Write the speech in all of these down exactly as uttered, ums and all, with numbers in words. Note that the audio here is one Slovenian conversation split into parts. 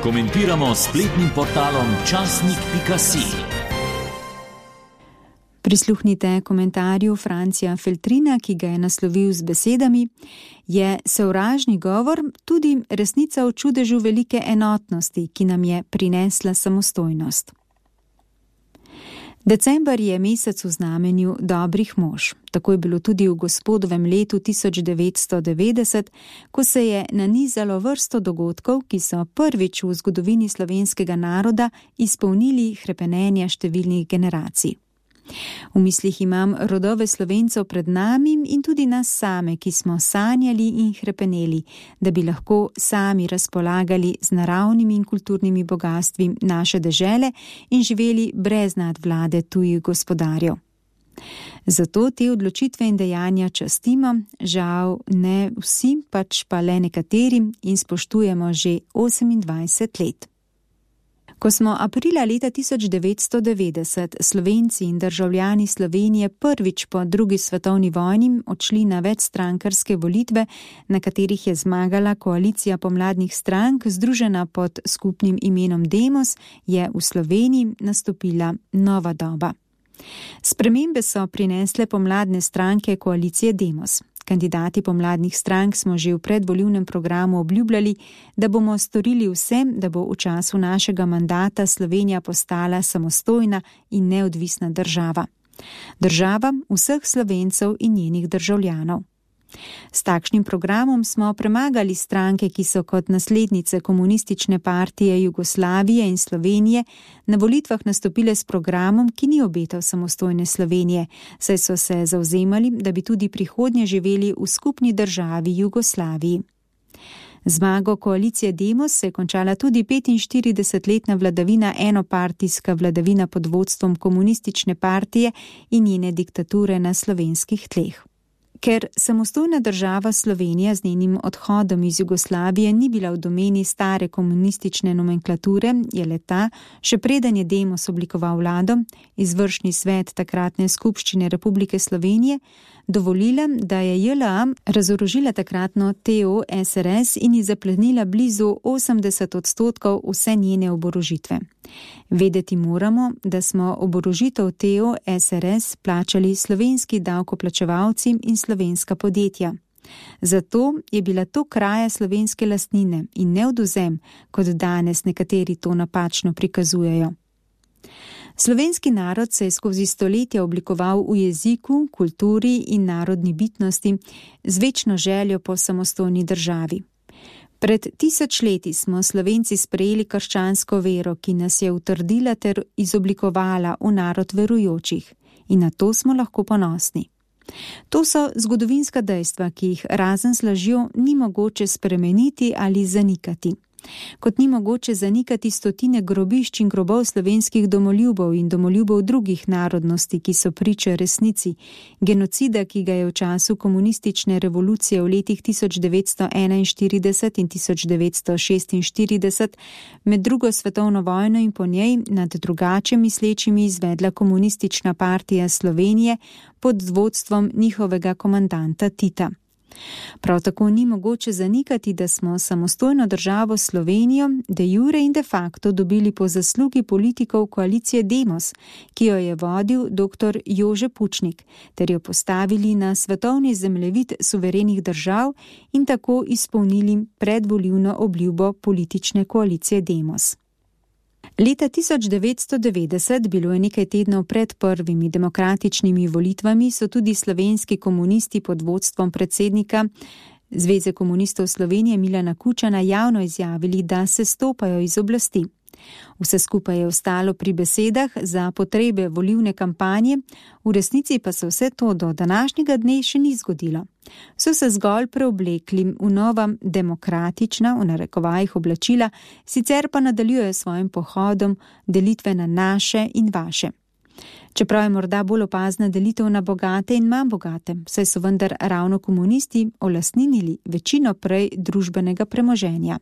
Komentiramo s spletnim portalom časnik pika si. Prisluhnite komentarju Francija Feltrina, ki ga je naslovil z besedami: je sovražni govor tudi resnica o čudežu velike enotnosti, ki nam je prinesla samostojnost. December je mesec v znamenju dobrih mož. Tako je bilo tudi v gospodovem letu tisoč devetsto devetdeset, ko se je nanizalo vrsto dogodkov, ki so prvič v zgodovini slovenskega naroda izpolnili hrepenenja številnih generacij. V mislih imam rodove Slovencev pred nami in tudi nas same, ki smo sanjali in hrepeneli, da bi lahko sami razpolagali z naravnimi in kulturnimi bogastvi naše dežele in živeli brez nadvlade tujih gospodarjev. Zato te odločitve in dejanja častimo, žal ne vsi, pač pa le nekateri, in spoštujemo že osemindvajset let. Ko smo aprila leta tisoč devetsto devetdeset Slovenci in državljani Slovenije prvič po drugi svetovni vojni odšli na večstrankarske volitve, na katerih je zmagala koalicija pomladnih strank, združena pod skupnim imenom Demos, je v Sloveniji nastopila nova doba. Spremembe so prinesle pomladne stranke koalicije Demos. Kandidati pomladnih strank smo že v predvolilnem programu obljubljali, da bomo storili vse, da bo v času našega mandata Slovenija postala samostojna in neodvisna država. Država vseh Slovencev in njenih državljanov. S takšnim programom smo premagali stranke, ki so kot naslednice komunistične partije Jugoslavije in Slovenije na volitvah nastopile s programom, ki ni obetal samostojne Slovenije, saj so se zavzemali, da bi tudi prihodnje živeli v skupni državi Jugoslaviji. Zmago koalicije Demos se je končala tudi petinštiridesetletna vladavina enopartijska vladavina pod vodstvom komunistične partije in njene diktature na slovenskih tleh. Ker samostojna država Slovenija z njenim odhodom iz Jugoslavije ni bila v domeni stare komunistične nomenklature, je le-ta, še preden je Demos oblikoval vlado, izvršni svet takratne skupščine Republike Slovenije, dovolila, da je J L A razorožila takratno T O S R S in ji zaplenila blizu osemdeset odstotkov vse njene oborožitve. Vedeti moramo, da smo oborožitev T O S R S plačali slovenski davkoplačevalci in slovenska podjetja. Zato je bila to kraja slovenske lastnine in ne odvzem, kot danes nekateri to napačno prikazujejo. Slovenski narod se je skozi stoletja oblikoval v jeziku, kulturi in narodni bitnosti z večno željo po samostojni državi. Pred tisoč leti smo Slovenci sprejeli krščansko vero, ki nas je utrdila ter izoblikovala v narod verujočih, in na to smo lahko ponosni. To so zgodovinska dejstva, ki jih razen s lažjo ni mogoče spremeniti ali zanikati. Kot ni mogoče zanikati stotine grobišč in grobov slovenskih domoljubov in domoljubov drugih narodnosti, ki so priče resnici, genocida, ki ga je v času komunistične revolucije v letih tisoč devetsto enainštirideset in tisoč devetsto šestinštirideset med drugo svetovno vojno in po njej nad drugače mislečimi izvedla komunistična partija Slovenije pod vodstvom njihovega komandanta Tita. Prav tako ni mogoče zanikati, da smo samostojno državo Slovenijo de jure in de facto dobili po zaslugi politikov koalicije Demos, ki jo je vodil doktor Jože Pučnik, ter jo postavili na svetovni zemljevid suverenih držav in tako izpolnili predvolilno obljubo politične koalicije Demos. Leta tisoč devetsto devetdeset, bilo je nekaj tednov pred prvimi demokratičnimi volitvami, so tudi slovenski komunisti pod vodstvom predsednika Zveze komunistov Slovenije Milana Kučana javno izjavili, da se stopajo iz oblasti. Vse skupaj je ostalo pri besedah za potrebe volilne kampanje, v resnici pa se vse to do današnjega dne še ni zgodilo. So se zgolj preoblekli v nova demokratična, v narekovajih, oblačila, sicer pa nadaljujejo svojim pohodom delitve na naše in vaše. Čeprav je morda bolj opazna delitev na bogate in manj bogate, saj so vendar ravno komunisti olastninili večino prej družbenega premoženja.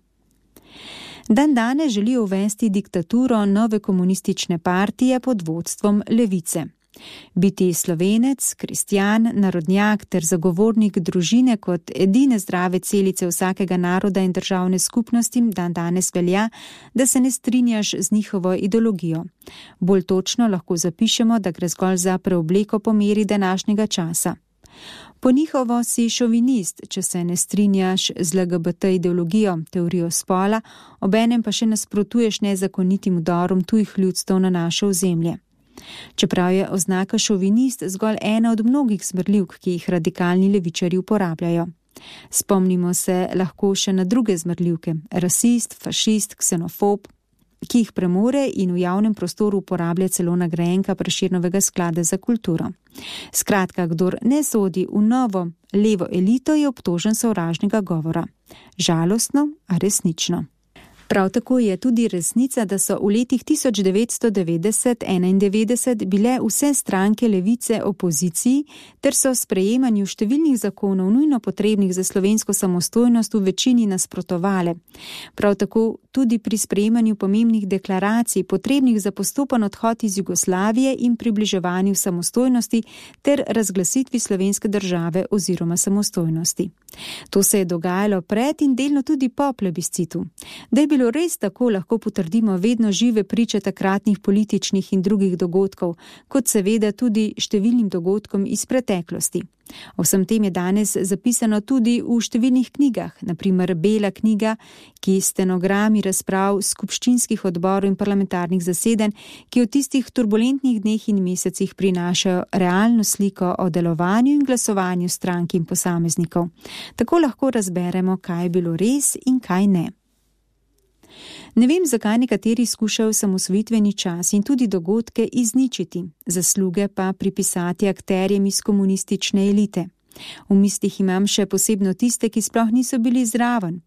Dan danes želijo uvesti diktaturo nove komunistične partije pod vodstvom Levice. Biti Slovenec, kristjan, narodnjak ter zagovornik družine kot edine zdrave celice vsakega naroda in državne skupnosti dan danes velja, da se ne strinjaš z njihovo ideologijo. Bolj točno lahko zapišemo, da gre zgolj za preobleko po meri današnjega časa. Po njihovo si šovinist, če se ne strinjaš z L G B T ideologijo, teorijo spola, obenem pa še nasprotuješ nezakonitim vdorom tujih ljudstev na naše ozemlje. Čeprav je oznaka šovinist zgolj ena od mnogih zmrljivk, ki jih radikalni levičarji uporabljajo. Spomnimo se lahko še na druge zmrljivke, rasist, fašist, ksenofob, ki jih premore in v javnem prostoru uporablja celo nagrajenka Prešernovega sklada za kulturo. Skratka, kdor ne sodi v novo levo elito, je obtožen sovražnega govora. Žalostno, a resnično. Prav tako je tudi resnica, da so v letih tisoč devetsto devetdeset do enaindevetdeset bile vse stranke levice opoziciji ter so sprejemanju številnih zakonov nujno potrebnih za slovensko samostojnost v večini nasprotovale. Prav tako tudi pri sprejemanju pomembnih deklaracij potrebnih za postopen odhod iz Jugoslavije in približevanju samostojnosti ter razglasitvi slovenske države oziroma samostojnosti. To se je dogajalo pred in delno tudi po plebiscitu. Da je bilo res tako, lahko potrdimo vedno žive priče takratnih političnih in drugih dogodkov, kot seveda tudi številnim dogodkom iz preteklosti. O vsem tem je danes zapisano tudi v številnih knjigah, na primer Bela knjiga, ki stenogrami razprav skupščinskih odborov in parlamentarnih zasedanj, ki v tistih turbulentnih dneh in mesecih prinašajo realno sliko o delovanju in glasovanju strank in posameznikov. Tako lahko razberemo, kaj je bilo res in kaj ne. Ne vem, zakaj nekateri skušajo samosvojitveni čas in tudi dogodke izničiti, zasluge pa pripisati akterjem iz komunistične elite. V mislih imam še posebno tiste, ki sploh niso bili zraven.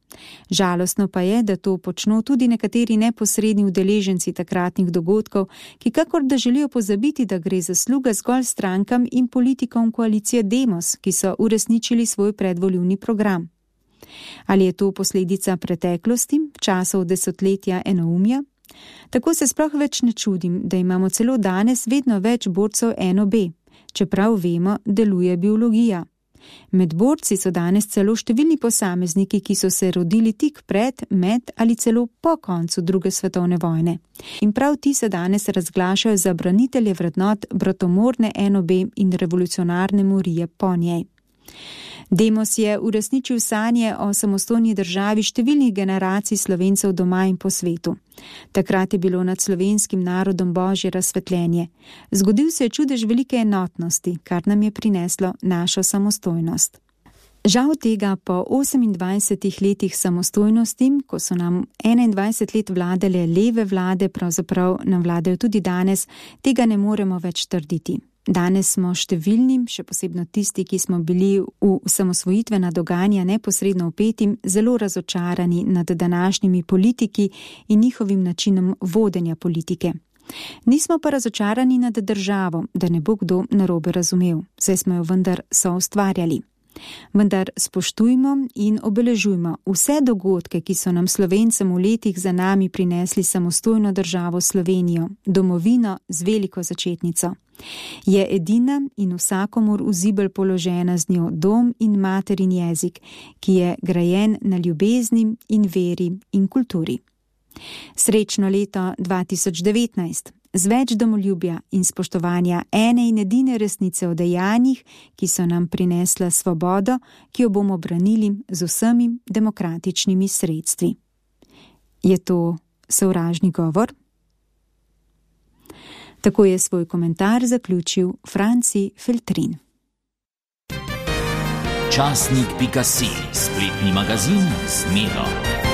Žalostno pa je, da to počno tudi nekateri neposredni udeleženci takratnih dogodkov, ki kakor da želijo pozabiti, da gre zasluga zgolj strankam in politikom koalicije Demos, ki so uresničili svoj predvolilni program. Ali je to posledica preteklosti, časov desetletja enoumja? Tako se sploh več ne čudim, da imamo celo danes vedno več borcev eno be, čeprav vemo, deluje biologija. Med borci so danes celo številni posamezniki, ki so se rodili tik pred, med ali celo po koncu druge svetovne vojne. In prav ti se danes razglašajo za branitelje vrednot bratomorne eno be in revolucionarne morije po njej. Demos je uresničil sanje o samostojni državi številnih generacij Slovencev doma in po svetu. Takrat je bilo nad slovenskim narodom božje razsvetljenje. Zgodil se je čudež velike enotnosti, kar nam je prineslo našo samostojnost. Žal tega po osemindvajsetih letih samostojnosti, ko so nam enaindvajset let vladale leve vlade, pravzaprav nam vladajo tudi danes, tega ne moremo več trditi. Danes smo številnim, še posebno tisti, ki smo bili v samosvojitvena dogajanja neposredno vpetim, zelo razočarani nad današnjimi politiki in njihovim načinom vodenja politike. Nismo pa razočarani nad državo, da ne bo kdo narobe razumel, saj smo jo vendar soustvarjali. Vendar spoštujmo in obeležujmo vse dogodke, ki so nam Slovencem v letih za nami prinesli samostojno državo Slovenijo, domovino z veliko začetnico. Je edina in vsakomur v zibelj položena z njo dom in materin jezik, ki je grajen na ljubezni in veri in kulturi. Srečno leto dva tisoč devetnajst, z več domoljubja in spoštovanja ene in edine resnice o dejanjih, ki so nam prinesla svobodo, ki jo bomo branili z vsemi demokratičnimi sredstvi. Je to sovražni govor? Tako je svoj komentar zaključil Franci Feltrin. Časnik pika si, spletni magazin z Miro.